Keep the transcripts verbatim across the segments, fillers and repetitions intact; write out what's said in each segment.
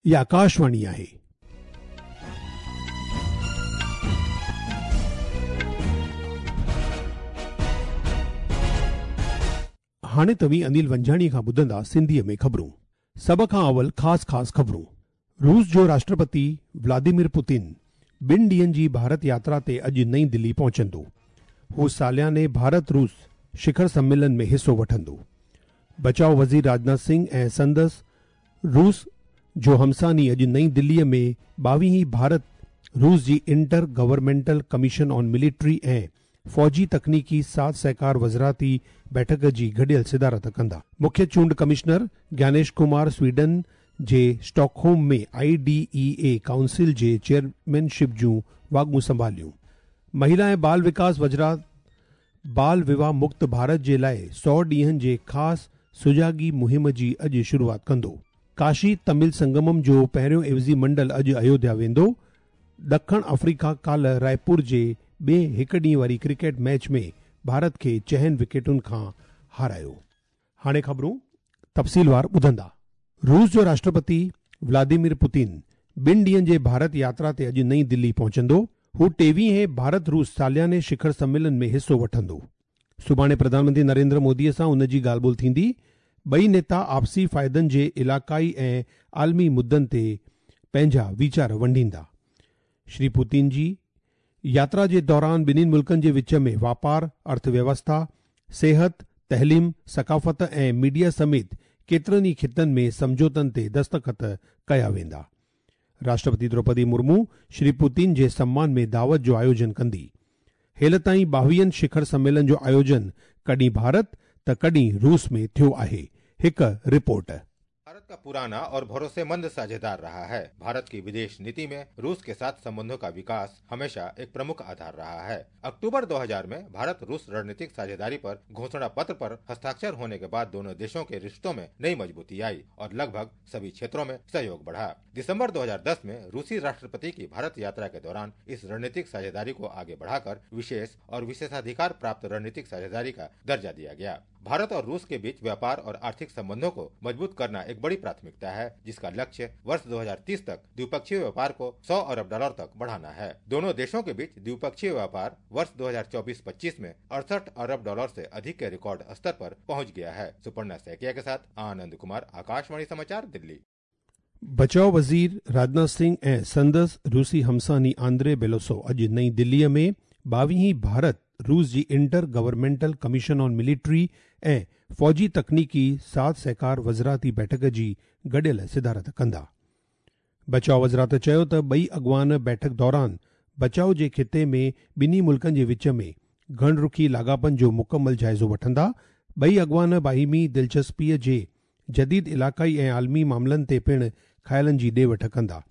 هي آڪاشواڻي آهي. هاڻي توهين انيل ونجهاڻي کان ٻڌندا سنڌيء ۾ خبرون. سڀ کان اول خاص خاص خبرون. روس جو راشٽرپتي ولاديمير پوتين ٻن ڏينهن جي ڀارت ياترا تي اڄ نئين دلي پهچندو. هو سالياني ڀارت روس شکر سميلن ۾ حصو وٺندو. بچاءُ وزير راجناٿ سنگهه ۽ سندس روس جو همساني اڄ نئين دليء ۾ ٻاويهين ڀارت روس جي inter governmental commission on military ۽ فوجي تڪنيڪي ساٿ سهڪار وزارتي بيٺڪ جي گڏيل صدارت ڪندا. مکيه چونڊ ڪمشنر گيانيش ڪمار سويڊن جي Stockholm ۾ I D E A council جي چيئرمينشپ جون واڳون سنڀاليون. مهلا ۽ بال وڪاس وزارت بال وواهه مڪت ڀارت جي لاءِ سؤ ڏينهن جي خاص سجاڳي مهم جي اڄ شروعات ڪندو. ڪاشي تامل سنگمم جو پهريون عيوضي منڊل اڄ ايوڌيا ويندو. ڏکڻ آفريڪا ڪالهه رائپور جي ٻئي هڪ ڏينهن واري ڪرڪيٽ ميچ ۾ ڀارت کي چئن وڪيٽن کان هارايو. هاڻي خبرون تفصيلوار ٻڌندا. روس جو راشٽرپتي ولاديمير پوتين ٻن ڏينهن جي ڀارت ياترا تي اڄ نئين دلي پهچندو. هو ٽيويهين ڀارت روس سالياني شکر سميلن ۾ حصو وٺندو. سڀاڻي پرڌان منتري نريندر موديءَ سان ان جي ڳالهه ٻولهه ٿيندي. ٻئي نيتا آپسي فائدن جي علائقائي ۽ عالمي مدن تي پنهنجا ويچار ونڊيندا. شري پوتين جي ياترا جي دوران ٻنهي ملڪن جي وچ ۾ واپار، ارٿويوسٿا، صحت، تعليم، ثقافت ۽ ميڊيا سميت ڪيترن ئي خطن ۾ سمجهوتن تي دستخط ڪيا ويندا. راشٽرپتي دروپدي مرمو شري پوتين جي سمان ۾ دعوت جو آيوجن ڪندي. هيل تائين ٻاويهن شکر سميلن جو آيوجن ڪڏهن ڀارت ته ڪڏهن روس ۾ ٿيو آهي. هڪ رپورٽ. भारत का पुराना और भरोसेमंद साझेदार रहा है। भारत की विदेश नीति में रूस के साथ संबंधों का विकास हमेशा एक प्रमुख आधार रहा है। अक्टूबर दो हज़ार में भारत रूस रणनीतिक साझेदारी पर घोषणा पत्र पर हस्ताक्षर होने के बाद दोनों देशों के रिश्तों में नई मजबूती आई और लगभग सभी क्षेत्रों में सहयोग बढ़ा। दिसंबर दो हज़ार दस में रूसी राष्ट्रपति की भारत यात्रा के दौरान इस रणनीतिक साझेदारी को आगे बढ़ाकर विशेष और विशेषाधिकार प्राप्त रणनीतिक साझेदारी का दर्जा दिया गया। भारत और रूस के बीच व्यापार और आर्थिक संबंधों को मजबूत करना एक बड़ी प्राथमिकता है, जिसका लक्ष्य वर्ष दो हज़ार तीस तक द्विपक्षीय व्यापार को सौ अरब डॉलर तक बढ़ाना है। दोनों देशों के बीच द्विपक्षीय व्यापार वर्ष दो हज़ार चौबीस पच्चीस में अड़सठ अरब डॉलर से अधिक के रिकॉर्ड स्तर पर पहुंच गया है। सुपर्णा सैकिया के साथ आनंद कुमार, आकाशवाणी समाचार, दिल्ली। बचाव वज़ीर राजनाथ सिंह ऐं संदसि रूसी हमसानी आंद्रे बेलोसो अॼु नई दिल्लीअ में ॿावीहीं भारत रूस जी inter governmental commission on military ऐं फौजी तकनीकी साथ सहकार वज़ारती बैठक जी गॾियल सिदारत कंदा। बचाव वज़ारत चयो त ॿई अॻवान बैठक दौरान बचाव जे ख़िते में ॿिन्ही मुल्कनि जे विच में घणरुखी लाॻापनि जो मुकमल जाइज़ो वठंदा। ॿई अॻवान बाहिमी दिलचस्पीअ जे जदीद इलाक़ाई ऐं आलमी मामलनि ते पिणु ख़्यालनि जी ॾे वठ कंदा।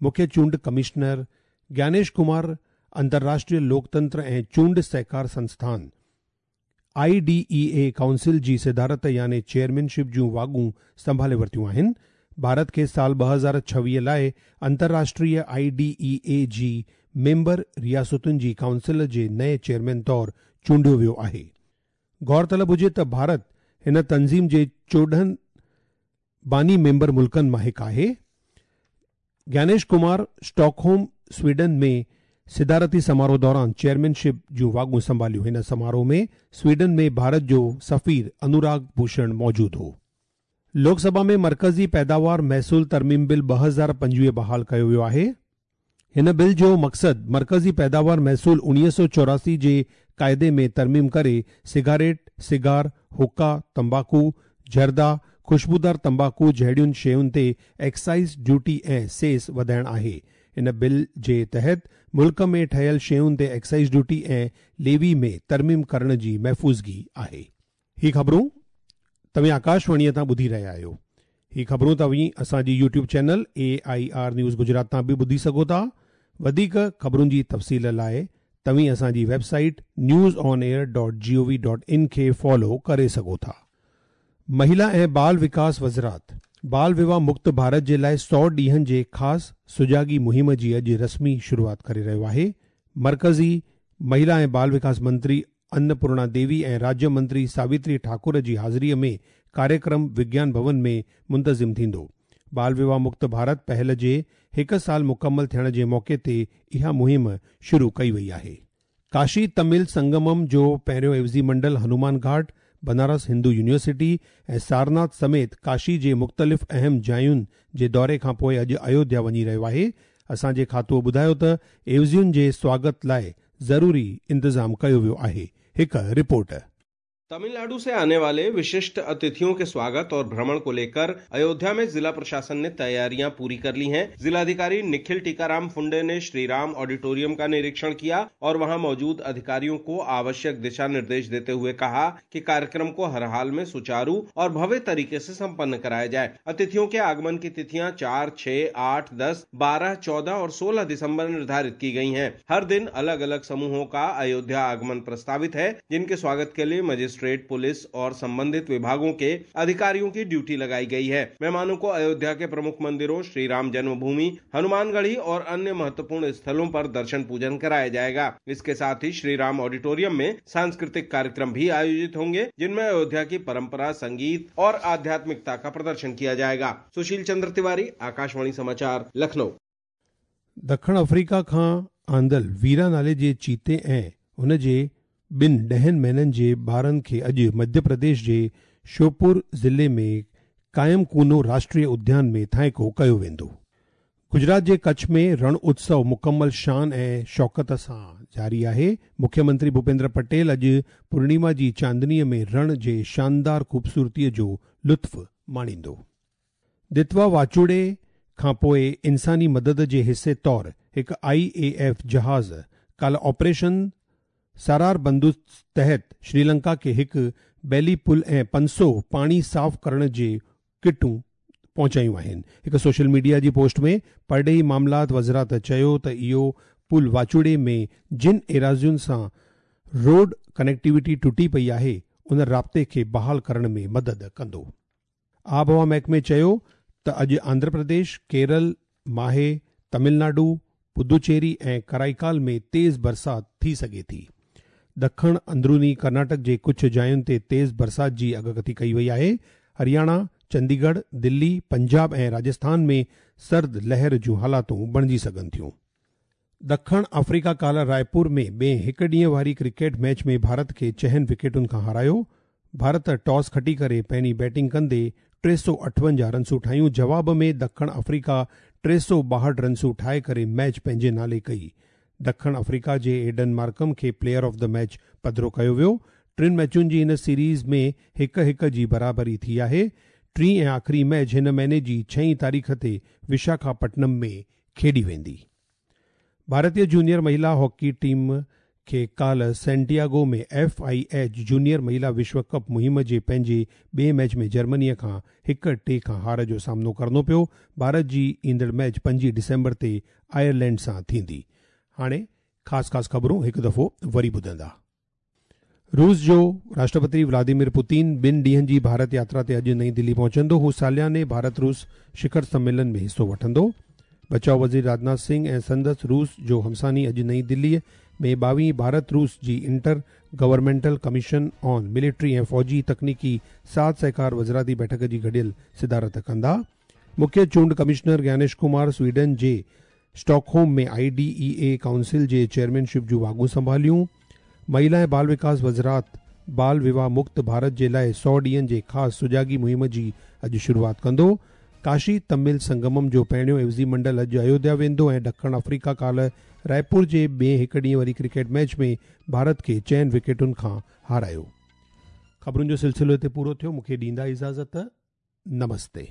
मुख्य चूंड कमिश्नर ज्ञानेश कुमार अंतर्राष्ट्रीय लोकतंत्र ऐं चूंड सहकार संस्थान I D E A council जी सदारत यानी चेयरमैनशिप जूं वाॻूं संभाले वरितियूं आहिनि। भारत खे साल ॿ हज़ार छवीह लाइ अंतर्राष्ट्रीय I D E ए जी मेंबर रियासतुनि जी काउंसिल जे नए चेयरमैन तौर चूंडियो वियो आहे। गौरतलब हुजे त भारत हिन तंज़ीम जे चोॾहं बानी मेंबर मुल्कनि मां हिकु आहे। ज्ञानेश कुमार स्टॉकहोम स्वीडन में सिदारती समारोह दौरान चेयरमैनशिप जूं वाॻूं संभालियूं। हिन समारोह में स्वीडन में भारत जो सफ़ीर अनुराग भूषण मौजूद हो। लोकसभा में मरकज़ी पैदावार महसूल तरमीम बिल ॿ हज़ार पंजवीह बहाल कयो वियो आहे। हिन बिल जो मक़सदु मरकज़ी पैदावार महसूल उणिवीह सौ चौरासी जे काइदे में तरमीम करे सिगारेट, सिगार, हुक्का, तंबाकू, जर्दा, ख़ुशबूदार तंबाकू जहिड़ियुनि शयुनि ते एक्साइज़ ड्यूटी ऐं सेस वधाइणु आहे। इन बिल जे तहत मुल्क में ठहियल शयुनि ते एक्साइज़ ड्यूटी ऐं लेवी में तरमीम करण जी महफ़ूज़गी आहे। ही ख़बरूं तव्हीं आकाशवाणीअ तां ॿुधी रहिया आहियो। ही ख़बरूं तव्हीं असांजी YouTube channel A I R news Gujarat तां बि ॿुधी सघो था। वधीक ख़बरुनि जी तफ़सील लाइ तव्हीं असांजी website news on air dot G O V dot in खे फॉलो करे सघो था। महिला ऐं बाल विकास वज़ारत बाल विवाह मुक्त भारत जे लाइ सौ ॾींहनि जे ख़ासि सुजागी मुहिम जी अॼु रस्मी शुरूआत करे रहियो आहे। मरकज़ी महिला ऐं बाल विकास मंत्री अन्नपूर्णा देवी ऐं राज्य मंत्री सावित्री ठाकुर जी हाज़िरीअ में कार्यक्रम विज्ञान भवन में मुंतज़िम थींदो। बाल विवाह मुक्त भारत पहल जे हिकु साल मुकमल थियण जे मौक़े ते इहा मुहिम शुरू कई वई आहे। काशी तमिल संगमम जो पहिरियों एवज़ी मंडल हनुमान घाट, बनारस हिंदू यूनिवर्सिटी ऐं सारनाथ समेत काशी जे मुख़्तलिफ़ अहम जायुनि जे दौरे खां पोइ अॼु अयोध्या वञी रहियो आहे। असांजे खातूअ ॿुधायो त एवज़ियुनि जे स्वागत लाइ ज़रूरी इंतज़ाम कयो वियो आहे। हिकु रिपोर्ट। तमिलनाडु से आने वाले विशिष्ट अतिथियों के स्वागत और भ्रमण को लेकर अयोध्या में जिला प्रशासन ने तैयारियां पूरी कर ली हैं। जिलाधिकारी निखिल टीकाराम फुंडे ने श्री राम ऑडिटोरियम का निरीक्षण किया और वहां मौजूद अधिकारियों को आवश्यक दिशा निर्देश देते हुए कहा कि कार्यक्रम को हर हाल में सुचारू और भव्य तरीके से संपन्न कराया जाए। अतिथियों के आगमन की तिथियां चार, छह, आठ, दस, बारह, चौदह और सोलह दिसम्बर निर्धारित की गयी है। हर दिन अलग अलग समूहों का अयोध्या आगमन प्रस्तावित है, जिनके स्वागत के लिए मजिस्ट्रेट, पुलिस और संबंधित विभागों के अधिकारियों की ड्यूटी लगाई गई है। मेहमानों को अयोध्या के प्रमुख मंदिरों श्री राम जन्मभूमि, हनुमानगढ़ी और अन्य महत्वपूर्ण स्थलों पर दर्शन पूजन कराया जाएगा। इसके साथ ही श्री राम ऑडिटोरियम में सांस्कृतिक कार्यक्रम भी आयोजित होंगे, जिनमें अयोध्या की परंपरा, संगीत और आध्यात्मिकता का प्रदर्शन किया जाएगा। सुशील चंद्र तिवारी, आकाशवाणी समाचार, लखनऊ। दक्षिण अफ्रीका खां आंदल वीरा नाले जे चीते ऐं उन जे ॿिनि ॾहनि महीननि जे ॿारनि खे अॼु मध्य प्रदेश जे श्योपुर ज़िले में कायम कूनो राष्ट्रीय उद्यान में थाइको कयो वेंदो। गुजरात जे कच्छ में रण उत्सव मुकमल शान ऐं शौकत सां जारी आहे। मुख्यमंत्री भूपेंद्र पटेल अॼु पूर्णिमा जी चांदनीअ में रण जे शानदार ख़ूबसूरतीअ जो लुत्फ़ माणींदो। दितवा वाचूड़े खां पोइ इंसानी मदद जे हिसे तौर हिकु आई ए एफ जहाज़ काल्ह ऑपरेशन सारार बंदूक तहत श्रीलंका खे हिकु बैली पुल ऐं पंज सौ पाणी साफ़ करण जे किटूं पहुचायूं आहिनि। हिकु सोशल मीडिया जी पोस्ट में परॾेही मामलात वज़ारत चयो त इहो पुल वाचूड़े में जिन एराज़ियुनि सां रोड कनेक्टिविटी टुटी पई आहे उन राब्ते खे बहाल करण में मदद कंदो। आबहवा महकमे चयो त अॼु आंध्र प्रदेश, केरल, माहे, तमिलनाडु, पुदुचेरी ऐं कराईकाल में तेज़ बरसात थी सघे थी। दखण अंदरूनी कर्नाटक जे कुझु जायुनि ते तेज़ बरसात जी अगकथी कई वई आहे। हरियाणा, चंडीगढ़, दिल्ली, पंजाब ऐं राजस्थान में सर्द लहर जूं हालातूं बणिजी सघनि थियूं। दखण अफ्रीका काल्ह रायपुर में ॿिए हिकु ॾींहं वारी क्रिकेट मैच में भारत खे चहनि विकेटुनि खां हारायो। भारत टॉस खटी करे पहिरीं बैटिंग कंदे टे सौ अठवंजाह रनसूं ठाहियूं। जवाब में दखण अफ्रीका टे सौ ॿाहठि रनसूं ठाहे करे मैच पंहिंजे नाले कई। दखण अफ्रीका जे एडन मार्कम खे प्लेयर ऑफ the match पधिरो कयो वियो। टिनि मैचुनि जी हिन सीरीज़ में हिकु हिकु जी बराबरी थी आहे। टीं ऐं आख़िरी मैच हिन महीने जी छहीं तारीख़ ते विशाखापट्टनम में खेॾी वेंदी। भारतीय जूनियर महिला हॉकी टीम खे काल्ह Santiago में एफ I H junior महिला विश्व कप मुहिम जे पंहिंजे ॿिए मैच में जर्मनीअ खां हिकु टे खां हार जो सामनो करिणो पियो। भारत जी ईंदड़ मैच पंजीह डिसेंबर ते आयरलैंड सां थींदी। हाणे ख़ासि ख़ासि ख़बरूं हिकु दफ़ो वरी ॿुधंदा। रूस जो राष्ट्रपति व्लादिमीर पुतिन ॿिनि ॾींहनि जी भारत यात्रा ते अॼु नई दिल्ली पहुचंदो। हू सालियाने भारत रूस शिखर सम्मेलन में हिसो वठंदो। बचाव वज़ीर राजनाथ सिंह ऐं संदसि रूस जो हमसानी अॼु नई दिल्लीअ में ॿावीह भारत रूस जी inter governmental commission on military ऐं फ़ौजी तकनीकी साथ सहकार वज़ारती बैठक जी गॾियल सिदारत कंदा। मुख्य चूंड कमिश्नर ज्ञानेश कुमार स्वीडन जे Stockholm में I D E A council J chairmanship जूं वाॻूं संभालियूं। महिला ऐं बाल विकास वज़ारत बाल विवाह मुक्त भारत जे लाइ सौ ॾींहनि जे ख़ासि सुजागी मुहिम जी अॼु शुरूआत कंदो। काशी तमिल संगमम जो पहिरियों एवज़ी मंडल अॼु अयोध्या वेंदो ऐं ॾखण अफ्रीका काल्ह रायपुर जे ॿिए हिकु ॾींहं वारी क्रिकेट मैच में भारत खे चइनि विकेटुनि खां हारायो। ख़बरुनि जो सिलसिलो हिते पूरो थियो। मूंखे ॾींदा इजाज़त। नमस्ते।